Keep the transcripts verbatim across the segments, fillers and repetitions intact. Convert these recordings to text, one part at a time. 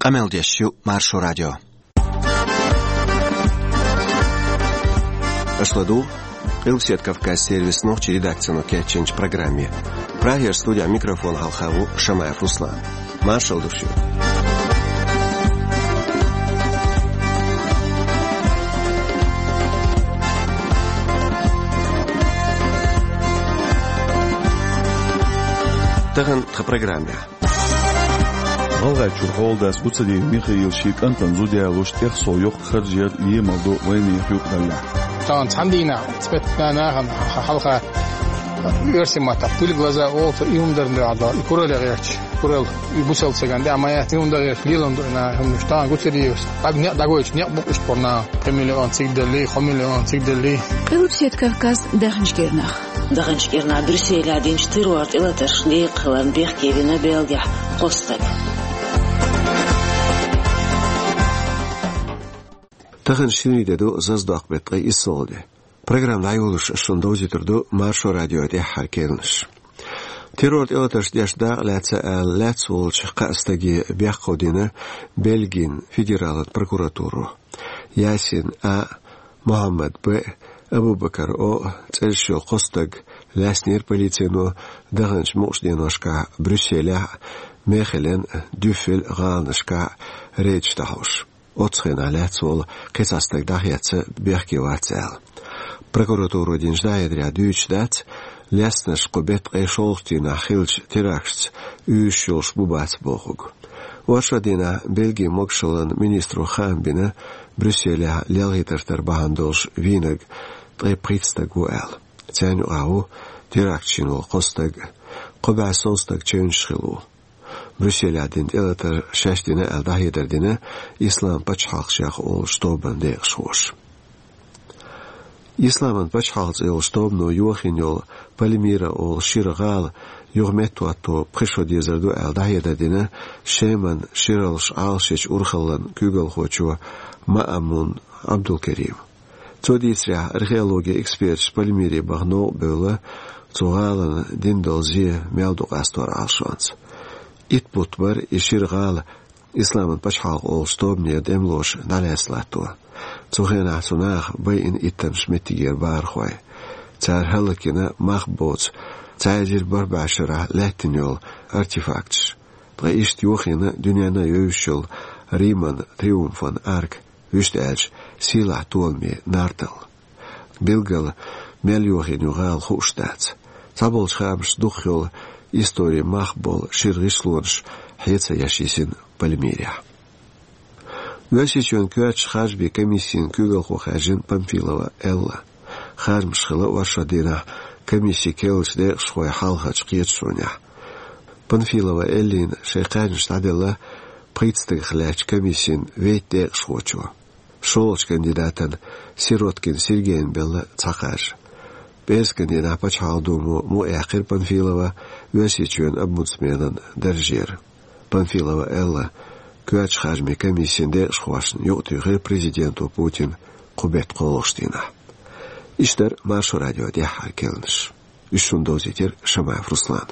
Къамел деш ю Маршо радио. Аша ладугӀу Къилбаседа Кавказ сервисан нохчийн редакцино кечйинчу программе. Прагера студехь микрофон хьалха ву Шамаев Руслан. Маршалла ду шуьга. Тахана тхан программехь. ГӀалгӀайчуьра хьоладас Гуцериев Михаила шен кӀантана зуда ялош тӀех сов йоккха харж яр емал до вайнехан юкъараллехь. Тахана цхьана дийнахь цхьа беттан нахана хьалха оьрсийн маттахь пыль в глаза олу, и хӀума дарна дуьхьал дала, и куралле гӀерташ, куралла, и бусалба стагана тӀехь ма яц, и хӀума дан гӀерташ лелам ду и наха хӀуманаш. Тахана Гуцериевс дӀа-, некъ дӀагойтуш некъ бу-кх иштта бара наха, пхи миллион цига даллий, кхо миллион цига даллий. Къилбаседа Кавказ, даханчу кӀирнах. Даханчу кӀирнахь Брюсселехь динчу террор тӀелатаршна декъахь хиларна бехке вина Бельгехь кхо стаг. Тахана шинарин де ду, зазадоккху беттан ткъе исслагӀа де. Программа дӀайолош ас шуна довзуьйтур ду Маршо радион тӀаьххьара керланаш. Террор тӀелатарш деш дакъа лаьцна аьлла, лаьцна волчу кхаа стаге бехк дина Бельгин федералан прокуратуро. Ясин А, Мухьаммад Б, Абубакар О цӀераш йолу кхо стаг лаьцнера полицино даханчу мукъачу деношкахь Брюсселехь а, Мехелен а, Дюффель а гӀаланашкахь а рейдаш дӀахьош. Оццу хенахь лаьцна волу кхин цхьа стаг дӀахецна, бехке вац аьлла. Прокуратуро динчу дӀахьедарехь дуьйцуш дац, лаьцнарш кху беттан ткъе шолгӀачу дийнахь хиллачу теракташца уьйраш йолуш бу-бац бохург. Оршот дийнахь Бельгин могушаллин министро хаам бина Брюсселехь лелхийтар тара бахьана долуш вийнарг ткъе пхийтта стаг ву аьлла. Царна юкъахь ву теракташ йина волу кхо стаг, кхо бӀе сов стаг чевнаш хилла ву. Брюсселехь дина тӀелатар шаьш дина аьлла дӀахьедар дина Ислам пачхьалкх шех олучу тобанан декъашхоша. Исламан пачхьалкх цӀе йолчу тобано йохийна йолу Пальмира олу шира гӀала юха меттахӀотто пхи шо дезар ду аьлла дӀахьедар дина Шеман шираллаш Ӏалашъечу урхаллан куьйгалхочо Маамун Ӏабдулкеримо. Цо дийцарехь, археологин эксперташа Пальмире баха новкъа бевлла цу гӀалина дина долу зе мел ду къастор Ӏалашонца. Итт бутт бара и шира гӀала Исламан пачхьалкх олучу тобанера тӀемалоша дӀалаьцна латто. Цу хенахь цу наха байина иттаннаш меттигера бахархой. Цара хӀаллакйина мах боцу цхьа эзар бархӀ бӀе шарахь лаьттина йолу артефакташ. Ткъа иштта йохийна дуьненна а евзаш йолу Риман триумфан арка, вуьшта аьлча, сийлахь толаман нартал. Билггал мел йохийна ю гӀала хууш дац. Цхьаболчу хаамашца, дукхах йолу историн мах болу шира гӀишлонаш хье ца еш йисина Пальмирехь. Оьрсийчоьнан коьртачу харжамийн комиссин куьйгалхо хаьржина Памфилова Элла. Харжамаш хилла оршот дийнахь комиссин керлачу декъашхойн хьалхарчу кхеташонехь. Памфилова Эллина шайн кхаьжнаш дӀаделла пхийтта стагах лаьттачу комиссин вейтта декъашхочо. ШолгӀачу кандидатана, Сироткин Сергейна, белла цхьа кхаж. ПӀераскан дийнахь Пачхьалкхан Думо мукъаяьккхира Памфилова Оьрсийчоьнан омбудсменан даржера. Памфилова Элла коьртачу харжамийн комиссин декъашхошна юкъатуьйхира президента Путина кху беттан кхоалгӀачу дийнахь. Иштта дара Маршо радион тӀаьххьара керланаш. Уьш шуна довзийтира Шамаев Руслана.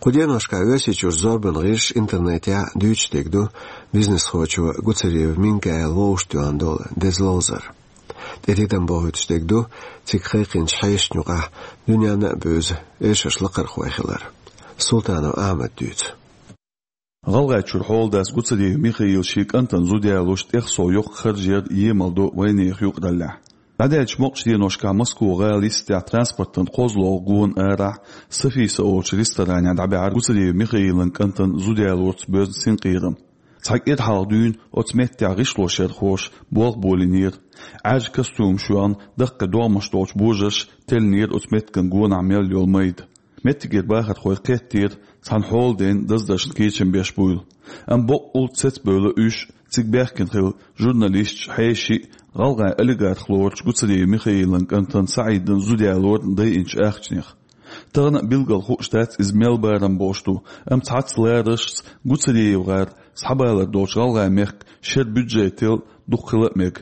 Кху деношкахь Оьрсийчуьра зорбанан гӀирсаша, интернетехь дуьйцуш дерг ду бизнесхочо Гуцериев Минкаила вовшахтоьхна долу деза ловзар. ТӀетитам бохуьйтуш дерг ду цига кхайкхинчу хьешашна юкъахь дуьненна а бевза эшарш лакхархой хилар. Султанов Ахьмада дуьйцу. ГӀалгӀайчуьра хьоладас Гуцериев Михаила шен кӀантана зуда ялош тӀех сов йоккха харж яр емал до вайнехан юкъараллехь. ДӀадаьллачу мукъачу деношкахь Москва-гӀала йистехь транспортан кхозлагӀа гонан арахь Софийса олучу ресторанехь дӀабаьхьира Гуцериев Михаилан кӀантана зуда ялорца боьзна синкъерам. Цхьа кӀира хьалха дуьйна оцу меттехь гӀишлошъярхоша болх болийнера. Ӏаьржа костюмаш йохна, даккхий догӀмаш долчу божарша теллинера оцу меттиган гонахь мел йолу майда. Меттигера бахархой кхеттера, цхьана хьоладайна даздаршна кечам беш буйла. Амма боккъал цецбевлла уьш, цига баьхкина хилла журналисташ, хьеший, гӀалгӀайн олигарх лоручу Гуцериев Михаилан кӀантана СаӀидан зуда ялорна дайинчу ахчанех. Тахана а билггал хууш дац иза мел барам болуш ду, амма цхьацца лараршца ГуцериевгӀар схьабалар долчу ГӀалгӀайн мехкан шеран бюджетал дукха хила а мега.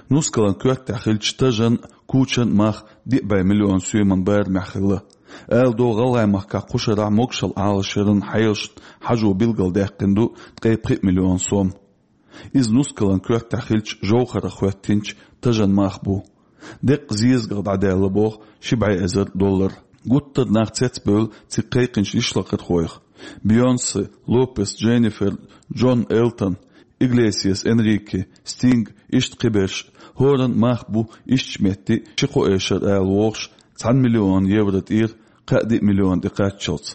Нускалан коьртехь хиллачу тажан, кучан мах диъ бӀе миллион соьман барамехь хилла. Ала догӀу, ГӀалгӀайн махкахь кху шарахь могушалла Ӏалашъяран хьелашна хьажо билгалдаьккхина ду ткъе пхи миллион сом. Иза нускалан коьртехь хиллачу жовхӀарах хӀоьттинчу тажан мах бу. Деккъа зезагах дӀадаьлла боху ши бӀе эзар доллар. Гуттар а нах цецбевлла цига кхайкхинчу йишлакхархойх. Бейонсе, Лопес Дженнифер, Джон Элтон, Иглесиас Энрике, Стинг, иштта кхиберш. ХӀоранна мах бу ишттачу метте ши-кхо эшар ала вогӀуш, цхьана миллион евро тӀера кхаа-диъ миллион тӀе кхаччалц.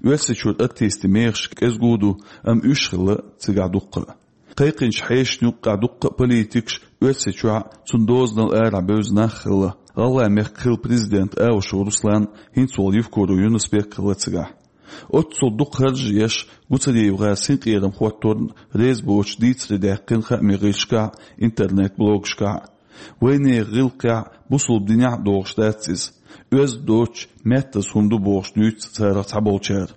Оьрсийчуьра артистийн мехаш кӀезиг а ду, амма уьш хилла цигахь дуккха а. Кхайкхинчу хьешашна юккъехь дуккха а политикаш, Оьрсийчохь а, цуьнан дозанал арахь бевза нах а хилла. ГӀалгӀайн мехкан хилла президент Аушев Руслан, хӀинца волу Евкуров Юнус-Бек хилла цигахь. Оццул дукха харж а еш, Гуцериев-гӀар синкъерам хӀотторна реза боцуш дийцаре даьккхина хаамийн гӀирсашкахь а, интернет-блогашкахь а. Вайнехан гӀиллакхехь а, бусалба динехь а догӀуш дац иза. Оьзда доцуш, меттаза хӀума ду бохуш дуьйцу царах цхьаболчара.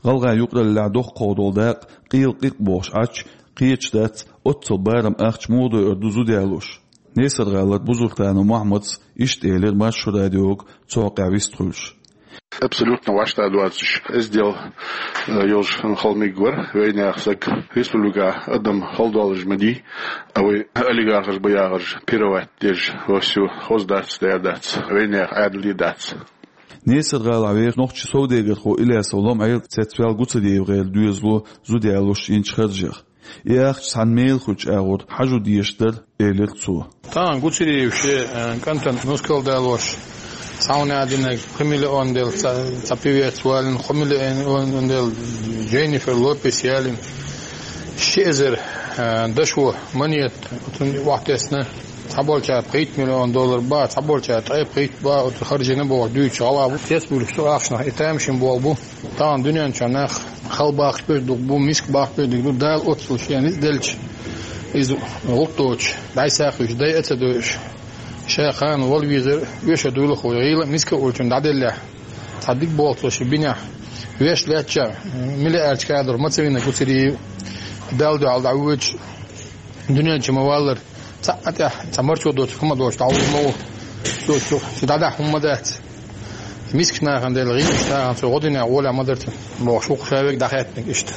ГӀалгӀайн юкъараллехь доккхах долу дакъа къела къикъ бохуш Ӏачу кхеташ дац, оццул барам ахча муха дойур ду зуда ялош. Несар-гӀалара Бузуртанов Мохьмадс иштта элира Маршо радиога цу хьокъехь вист хуьлуш. Абсолютно вӀаштӀа доцуш, эздел, э, йолуш хала мегар вара вайнехан стаг. Республика адам хала долуш ма дий, а вай олигархаш бу яхарш пировать деш, вовсю хоза дац, дер дац, вайнехан Ӏаьдале дац. Несар-гӀалахь вехаш нохчийн совдегархо Илясов Лом-Ӏела цецваьлла Гуцериев-гӀеран доьзало зуда ялош йинчу харжех. И ахча цхьана мела хуьлучу агӀор хьажо дезаш дара, элира цо. Тахана Гуцериев шен, э, кӀантана нускал далош, цхьа хӀума динарг пхи миллион делла, цхьа, цхьа певец валийна, кхо миллион делла Дженнифер Лопес ялийна, ши эзар, э, дашо монета, оцунна охьатесна, цхьаболчара пхийтта миллион доллар бан, цхьаболчара ткъе пхийтта бан, оцу харжийна бохуш дуьйцуш гӀала бу. Цецбуьйлуш цу ахчанах и тамашийна болу бу. Тахана дуьнен чохь нах хала бахча берг дукха бу, миска бахча берг дукха бу, Дала оццул шена ницкъ делча, иза гӀуллакх доцуш, дӀасакхуьйсуш, дайа а ца дойуш, ша кхана вала везар, оьшуш дуйла хьо, гӀийла а, миска а волчунна дӀаделлехь, цхьа дика болх цо шен бинехь, веш лаьттачохь, миллиардчу кадор ма ца вина Гуцериев, Далла дуьхьал дӀавоьдуш, дуьнен чу ма валлара, цхьа а тӀехь, цхьа марчо доцург хӀума доцуш дӀавуллу ма ву. Цо чу, цу дӀадахьа хӀума ма дац. Мискачу нахана делла гӀийлачу нахана цо гӀо динехь гӀолехь ма дара цуьнан, бохуш, вукху ша верг дӀахаьттинарг иштта.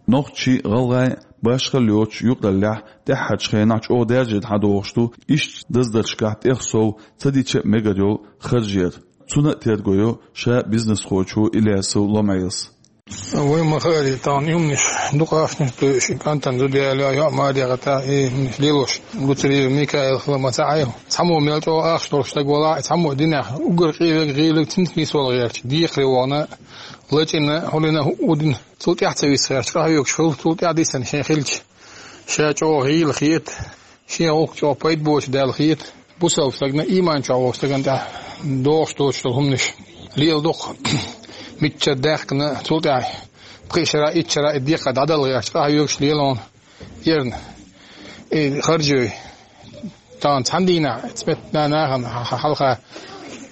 Нохчийн, гӀалгӀайн, башхалла йоцуш юкъараллехь тӀаьххьарчу хенахь чӀогӀа даьржина хьадогӀуш ду иштта даздаршкахь тӀех сов ца дича а мегар йолу харж яр. Цунна а терго йо ша бизнесхочо Илясов Лом-Ӏелас. Вай ма хаара, тахана и хӀуманаш дукха ахчанаш а тойуш, и кӀантана зуда яло, йоӀ маре гӀатта, и хӀуманаш лелош, Гуцериев Микаил хила ма ца Ӏайхьа. Цхьаммо мел чӀогӀа ахча долуш стаг валахь а, цхьаммо динехь уггар къе верг гӀийлаг цуьнца нисвала гӀерташ, декхаре вахана, лачкъийна, хьулдина хӀуъу дина, цул тӀаьхьа ца виса гӀерташ, къахьоьгуш хилла, цул тӀаьхьа дисина шен хилча, ша чӀогӀа гӀийла хета, шен гӀуллакх чӀогӀа пайда боцуш даьлла хета. Бусалба стагана, иман чохь волчу стагана тӀехь догӀуш доцуш долу хӀуманаш леладо-кх. Миччара даьккхина, цул тӀаьхьа пхи шарахь, итт шарахь и декхар дӀадала гӀерташ, къахьоьгуш лело хьуна ерна. И харжой. Тахана цхьана дийнахь, цхьа метта нахана хьалха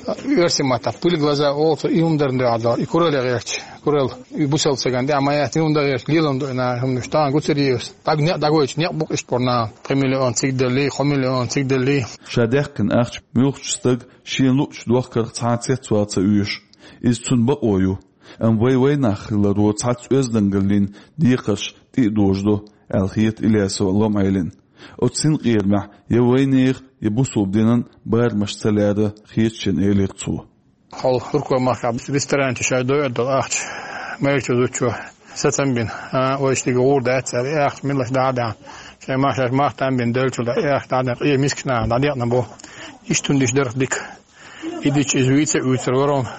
оьрсийн маттахь пыль в глаза олу цо, и хӀума дарна дуьхьал дала, и куралле гӀерташ, куралла, и бусалба стагана тӀехь ма яц, и хӀума дан гӀерташ, лелам ду и наха хӀуманаш. Тахана Гуцериевс дӀаг-, некъ дӀагойтуш некъ бу-кх иштта боху нахана, пхи миллион цига деллий, кхо миллион цига деллий. Ша даьккхина ахча муьлххачу стага шена луъучу дохкарх цхьа а цецвала ца оьшу. Иза цуьнан бакъо ю. Амма вай вайнах хиларо цхьацца оьздангаллин декхарш тӀе а дожадо, аьлла хета Илясов Лом-Ӏелина. Оцу синкъерамехь я вайнехан, я бусалба динан барамаш ца лаьара хета шена, элира цо. Хьо Туркойн махкахь ресторан чу шаьш дойур долу ахча майрачу зудчо сацам бина, а, вайша дика гӀур дац аьлла, и ахча милаш дӀа а даьхна, шайн мах шаьш мах там бина деллачул тӀаьхьа и ахча дӀа а даьхна, къе мискачу нахана дӀадекъна боху. Иштта хӀума диш дара-кх дика. И дича иза вийца а вуьйцур вара хьуна.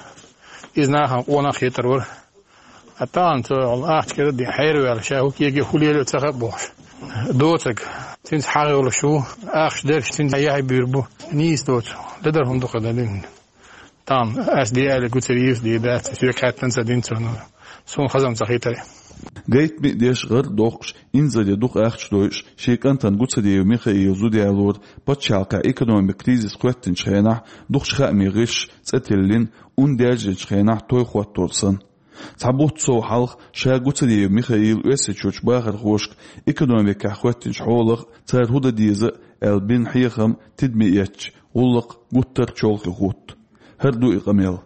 Иза нахана къонах а хетар вара. Ткъа тахана цо ахча кӀира а дина, хьераваьлла, ша хӀу кегий, хӀу лело а ца хаьа бохуш. Доцург, цуьнца хьагӀ йолуш ву, ахча дерш цуьнца яхье буьйр бу. Нийса доцу, ледара хӀума ду-кх и дан дина. Тахана ас де аьлла Гуцериевс дийр дац, соьга хаьттина ца дина цо, суна хазам ца хийтара. Гайтаме а деш, гӀар а доккхуш, инзаре дукха ахча дойуш, шен кӀантана Гуцериев Михаила зуда ялора пачхьалкхехь экономикан кризис хӀоьттинчу хенахь дукхачу хаамийн гӀирсаша цӀе тиллина, ун даьржинчу хенахь той хӀоттор санна. Цхьа бутт сов хьалха ша Гуцериев Михаила Оьрсийчуьрчу бахархошка экономикехь хӀоьттинчу хьолах, цара хӀун дан деза а аьлла бина хьехам тидаме эцча, гӀуллакх гуттар а чолхе хӀутту. ХӀара ду и къамел.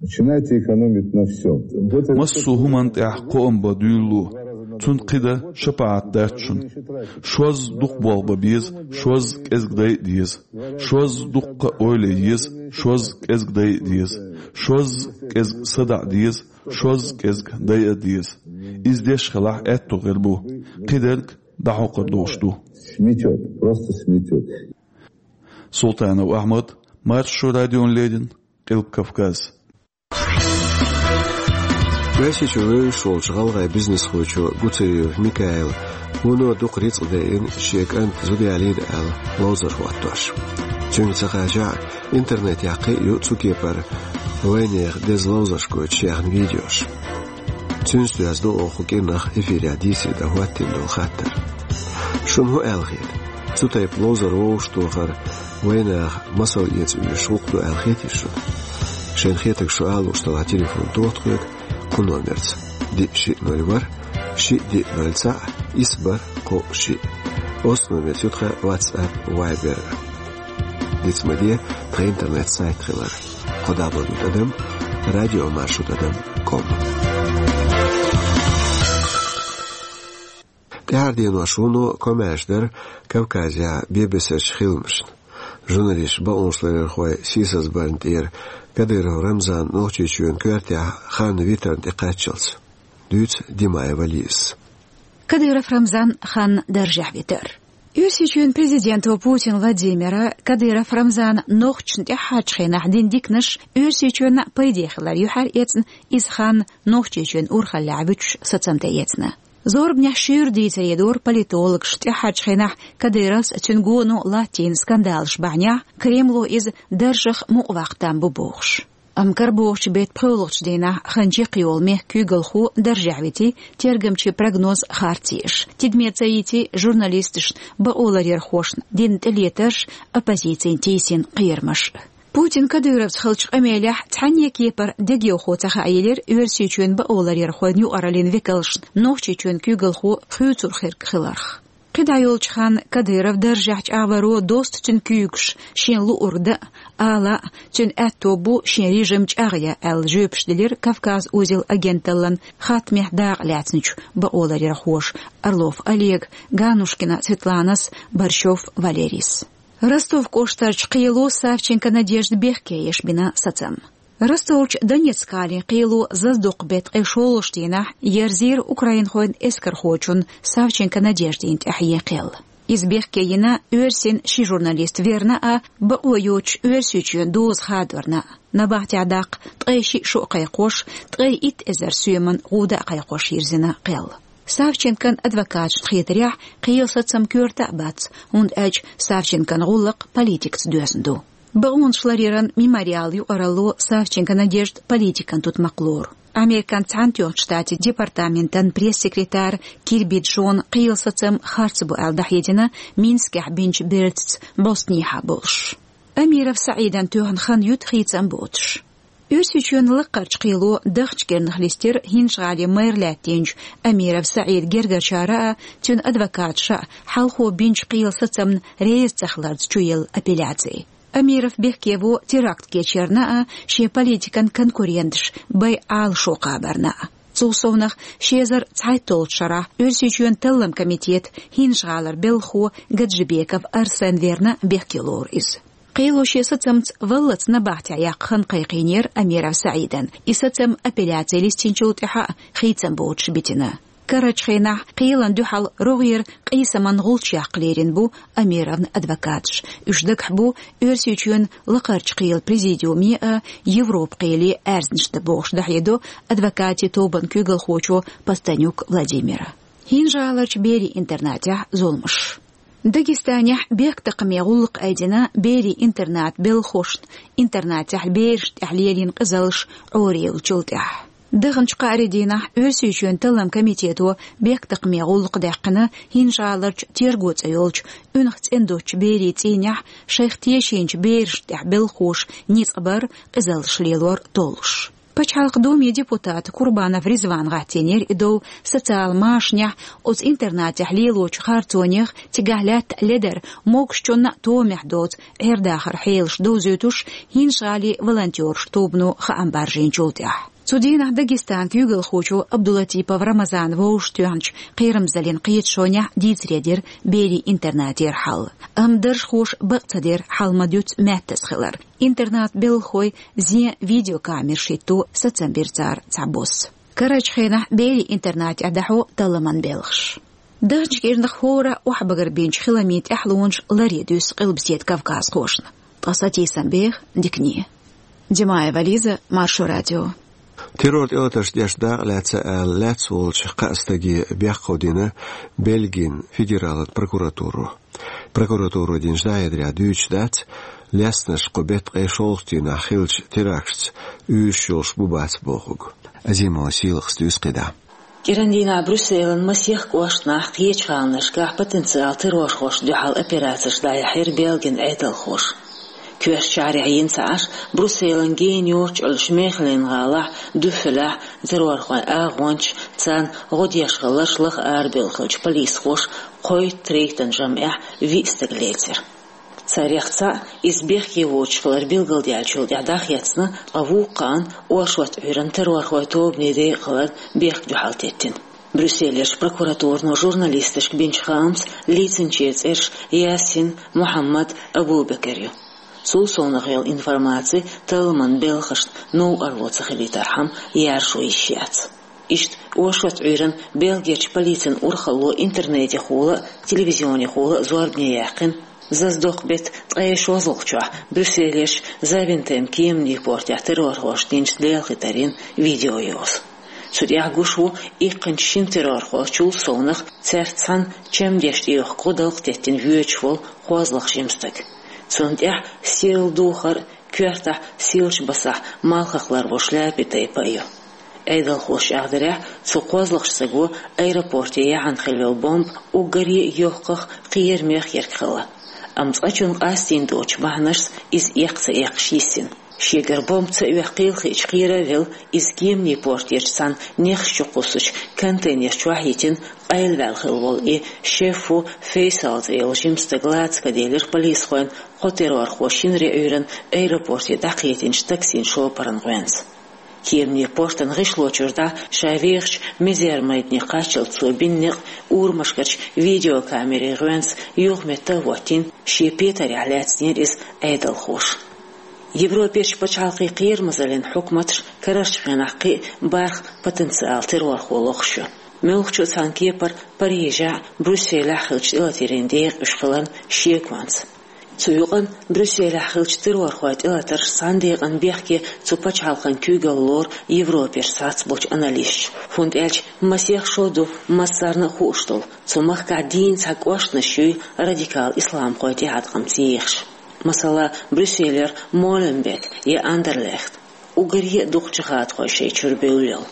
Начинайте экономить на всём. Вот это Массо а хӀуманна тӀехь кхоам бан дуьйлало. Цунна кхин дан шапаӀат дац шуна. Шозза дукха болх бан беза, шозза кӀезиг дайа а деза. Шозза дуккха а ойла е еза, шозза кӀезиг дайа а деза. Шозза кӀезиг садаӀа деза, шозза кӀезиг дайа а деза. Иза деш хилахь, аьттув гӀийр бу. Кхидерг дӀахьокхур долуш ду. Сметёт, просто сметёт. Султанов Ахьмад, Маршо радиона леррина, Къилба Кавказ. Оьрсийчу вевзаш волчу гӀалгӀайн бизнесхочо Гуцериев Микаила вуно дукха рицкъ дайина шен кӀанта зуда ялийна аьлла ловзар хӀоттош. Цуьнга ца хачахь а, интернетехь кхин а ю цу кепара вайнехан деза ловзарш гойтуш яьхна видеош. Цуьнца доьзна ду оха кху кӀиранах эфирехь дийцаре дан хӀоттийна долу хаттар. Шуна хӀун аьлла хета? Цу тайпа ловзар вовшахтохар вайнаха масал эца оьшуш гӀуллакх ду аьлла хетий шуна? Шайна хетарг шу ала лууш делахь, телефон тоха тхоьга кху номерца: диъ шиъ ноль ворхӀ, шиъ диъ ноль цхьаъ, исс бархӀ кхоъ шиъ. Оццу номерца ю тхан WhatsApp, Viber. Диц ма де тхан интернет-сайт хилар: кхо дабл ю тӀадам радиомаршо тӀадам ком. ТӀаьхьара денош вуно комаьрша дара Кавказехь бен-бесарчу хиламашна. Журналисташ, бакъонашларъярхой сийсазбарна тӀера Кадыров Рамзан Нохчийчоьнан коьртехь хан витарна тӀекхаччалц. Дуьйцу Димаева Лизас. Кадыров Рамзан хан даржехь витар. Оьрсийчоьнан президента Путин Владимира Кадыров Рамзана нохчашна тӀаьххьарчу хенахь дина диканаш Оьрсийчоьнна пайде хилар юьхьар эцна, иза хан Нохчийчоьнан урхаллехь вуьтуш сацам тӀеэцна. Зорбанехь шуьйра дийцаре дора политологаша тӀаьххьарчу хенахь Кадыровс а, цуьнан гоно латтийна скандалаш бахьанехь, Кремло иза даржах мукъаваккха там бу бохуш. Амма карабохучу беттан пхоьалгӀачу дийнахь хан чекхйолу мехкан куьйгалхо даржехь вити, тергамчийн прогноз харц еш, тидаме ца йити журналисташна, бакъоларъярхошна дина тӀелетарш, оппозицина тийсина кхерамаш. Путин Кадыровца хиллачу къамелехь цхьанне а кепара дегайовхо ца хааелира Оьрсийчоьнан бакъоларъярхойн юкъараллин векалшна Нохчийчоьнан куьйгалхо хуьйцур хирг хиларх. КхидӀа йолчу ханна Кадыров даржехь чӀагӀваро досту цуьнан куьйгаш, шена луург дан а, ала а, цуьнан аьтто бу шен режим чӀагӀъян аьлла жоьпаш делира «Кавказ-Узел» агенталлин хаттамехь дакъа лаьцначу бакъоларъярхоша Орлов Олега, Ганушкина Светланас, Борщев Валерийс. Ростов кӀоштарчу кхело Савченко Надежда бехке еш бина сацам. Ростовчу Донецк-гӀалин кхело заздокху беттан ткъе шолгӀачу дийнахь ерзийра украинхойн эскархочунна Савченко Надеждина тӀехь ен кхел. Иза бехке йина оьрсийн ши журналист верна а, бакъо йоцуш Оьрсийчоьнан доза хадорна а. Набахтехь даккха ткъе шиъ шо а кхайкхош, ткъе итт эзар соьман гӀуда а кхайкхош йирзина кхел. Савченкон адвокаташна хетарехь, кхелан сацам коьрта а бац, хӀунда аьлча Савченкон гӀуллакх политикаца доьзна ду. Бакъонашларъяран «Мемориал» юкъаралло Савченко Надежда политикан тутмакх лору. Американ Цхьаьнатоьхначу Штатийн департаментан пресс-секретарь Кирби Джона кхелан сацам харц бу аьлла дӀахьедина Минскехь бинчу бертаца бӀостанехьа болуш. Амиров СаӀидан тоьхна хан юьту хийцам боцуш. Оьрсийчоьнан лакхарчу кхело даханчу кӀирнах листира ХӀинжа-ГӀалин мэр лаьттинчу Амиров СаӀидан гергарчара а, цуьнан адвокаташа а хьалхо бинчу кхелан сацамна реза ца хиларца чуелла апелляци. Амиров бехке во теракт кечъярна а, шен политикан конкуренташ байъа Ӏалашо кхабарна а. Цул совнаха, ши эзар цхьайтталгӀачу шарахь Оьрсийчоьнан Талламан комитетан ХӀинжа-ГӀалара белхахо Гаджибеков Арсен верна бехке лору иза. Кхело шен сацамца валлалц набахтехь яккха хан кхайкхийнера Амиров СаӀидан, и сацам апелляци листинчул тӀаьхьа а хийцам боцуш битина. Карарчу хенахь кхелана дуьхьал рогӀера къийсаман гӀулч яккха лерина бу Амировн адвокаташ. Уьш дагахь бу Оьрсийчоьнан лакхарчу кхелан президиуме а, Европан кхеле а аьрзнаш дан бохуш дӀахьедо адвокатийн тобанан куьйгалхочо Постанюк Владимира. ХӀинжа-ГӀаларчу берийн интернатехь зуламаш. Дагестанехь бехктакхаме гӀуллакх айдина берийн интернатан белхахошна, интернатехь берашна тӀехь лелийна къизаллаш Ӏорайиллачул тӀаьхьа. Даханчу кхаарин дийнахь Оьрсийчоьнан Талламан комитето бехктакхаме гӀуллакх даьккхина ХӀинжа-ГӀаларчу Терго цӀе йолчу унах цӀена доцучу берийн цӀийнехь шайх тешийначу берашна тӀехь белхахоша ницкъ бар, къизаллаш лелор толлуш. Пачхьалкхан Думин депутата Курбанов Ризвана гӀаттийнера и дов социал машанехь, оцу интернатехь лелочу харцонех, цигахь лаьтта ледар, могушчунна а томехь доцу Ӏер-дахаран хьелаш довзуьйтуш, ХӀинжа-ГӀалин волонтерийн тобано хаам баржийначул тӀаьхьа. Цу дийнахь Дагестанан куьйгалхочо Абдулатипов Рамазана вовшахтоьхначу Кхерамзаллин кхеташонехь дийцаре дира Белин интернатера хьал. Амма даржхоша бакъ ца дира хьал ма-дуьйццу маьттаза хилар. Интернатан белхахой зен видеокамераш хӀитто сацам бира цара цхьабосса. Карарчу хенахь Белин интернатехь дӀахьо талламан белхаш. Даханчу кӀирнах хӀора охьабагар бинчу хиламийн тӀаьхьалонаш ларъян дуьсу Къилбаседа кавказхошна. Ткъа сатийсам беха дикане. Димаева Лиза, Маршо радио. Террор тӀелатарш деш дакъа лаьцна аьлла, лаьцна волчу кхаа стаге бехк дина Бельгин федералан прокуратуро. Прокуратуро динчу дӀахьедарехь дуьйцуш дац, лецнарш кху беттан ткъе шолгӀачу дийнахь хиллачу теракташца уьйраш йолуш бу-бац бохург. Азимова Сийлахьас дуьйцу кхидӀа. КӀиран дийнахь Брюсселан масех кӀошташкахь, кхечу гӀаланашкахь потенциал террорхошна дуьхьал операцеш дӀаяьхьира Бельгин Ӏедалхоша. Коьртачу шахьарехь йина ца Ӏаш, Брюсселан гена йоццуш Мехелен-гӀалахь, Дюффелехь террорхойн агӀончаш, царна гӀо деш хилларш лаха арабевлла хиллачу полисхоша кхойтта рейтан жамӀехь виъ стаг лецира. Царех цхьаъ, иза бехке воцуш хилар билгалдаьллачул тӀаьхьа дӀахецна, ткъа вукху кхаанна оршот Ӏуьйранна террорхойн тобане декъахь хиларна бехк дуьхьал теттина. Брюсселерчу прокуратуро журналисташка бинчу хаамца, лецначеран цӀераш Ясин, Мухьаммад, Абу-Бекер ю. Цул совнаха йолу информаци талламан белхашна новкъарло ца хилийтархьама яржо йиш яц. Иштта оршот Ӏуьйранна Бельгерчу полицин урхалло интернетехула а, телевизионехула а зорбане яьккхина, зазадоккху беттан ткъе шозлагӀчохь Брюсселерчу Завентем кеманийн портехь террорхоша динчу лелхийтарийн видеойоза. Цу тӀехь гуш ву иккхинчу шина террорхочул совнаха, цаьрца цхьаьна чамдеш тӀеюхку гӀо далкъа теттина воьдуш волу кхозлагӀа жима стаг. Цунна тӀехь сирла духар а, коьртахь сийлачу басахь малхах ларво шляпин тайпа а ю. Ӏедалхоша чӀагӀдарехь, цу кхозлагӀчу стага аэропорте яхьана хилла йолу бомба уггаре а йоккхах кхерамех ерг хилла. Амма цкъачунна къастийна доцучу бахьанашца иза эккха ца эккхаш йиссина. Шегара бомба ца оьккхийла хиъча кхера а велла, иза кеманийн портерчу цхьана нехаш чу кхуссучу контейнер чохь а йитина, къайлаваьлла хилла волу и Шеффу Фейсал цӀе йолу жима стаг лаца ка делира полисхойн кхо террорхо шинаре Ӏуьйранна аэропорте дӀакхетинчу таксин шопаран гӀоьнца. Кеманийн портан гӀишло чуьра дӀа ша вехачу мизер-майдане кхаччалц цо бина некъ урамашкарчу видеокамерийн гӀоьнца юхаметтахӀоттийна, шен петарехь лаьцнера иза Ӏедалхоша. Европерчу пачхьалкхийн кхерамазаллин хьукматаш карарчу хенахь кхин а бархӀ потенциал террорхо лохуш ю. Муьлххачу а цхьана кепара Парижехь а, Брюсселехь а хиллачу тӀелатарийн декъа уьш хиларна шеконца. Цу юкъанна Брюсселехь хиллачу террорхойн тӀелатарша цхьана декъана бехке цу пачхьалкхан куьйгалла лору Европерчу цхьацца болчу аналисташа, хӀунда аьлча масех шо ду массарна а хууш долу, цу махкахь дийна цхьа кӀоштанаш юй радикал исламхойн тӀеӀаткъамца ехаш. Масала, Брюсселера Моленбек я Андерлехт. Уггаре а дукха джихадхой шайн чуьра бевлла йолу.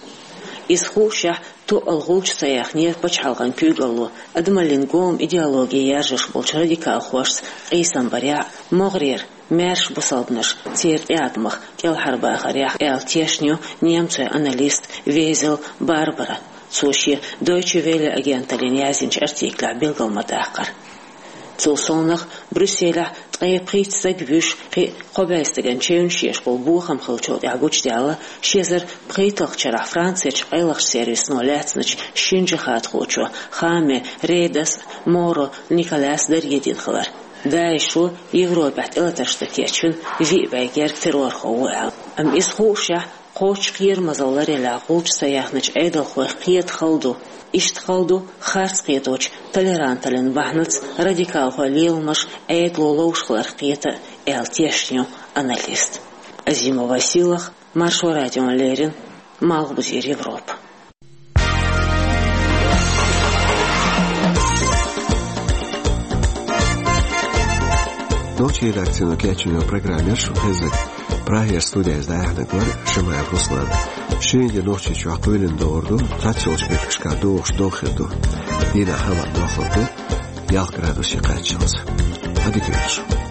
Иза хуушшехь, тоъал гӀулч ца яьхнера пачхьалкхан куьйгалло адамаллин гома идеологи яржош болчу радикалхошца къийсам барехь а, могӀарера маьрша бусалбанаш церан тӀеӀаткъамах кӀелхьарбахарехь а, аьлла тешна ю немцойн аналист Везел Барбара. Цо шен Deutsche Welle агенталлина яздинчу артиклехь билгал ма-даккхара. Цул совнаха, Брюсселехь ткъе пхийтта стаг вуьйш, кхин а кхо бӀе стагана чевнаш еш болу бохам хиллачул тӀаьхьа гучудаьлла ши эзар пхийтталгӀачу шарахь Францерчу къайлахчу сервисано лаьцначу шина джихадхочо Хаме Редас а, Моро Николас а даре дина хилар. ДАИШо Европехь тӀелатарш дан кечвина виъ бӀе герга террорхо ву аьлла. Амма иза хуушшехь, кхоччуш кхерамазалла ларъялахь гӀулч ца яьхначу Ӏедалхойх кхета хала ду. Иштта хала ду харц кхеточу толеранталлин бахьанаца радикалхойн леламаш Ӏедало ловш хиларх кхета а, аьлла тешна ю аналист. Азимова Сийлахь, Маршо радиона леррина, Малхбузера Европа. Нохчийн редакцино кечйина программа яра шун хезнарг. Прагера студехь дӀаяьхьнарг вара Шамаев Руслан. Шена де Нохчийчохь кхоьлина догӀур ду, цхьаццайолчу меттигашкахь догӀуш догӀа хир ду. Дийнахь хӀаваъ дохлур ду, ялх градусе кхаччалц. Ӏадика йойла шун.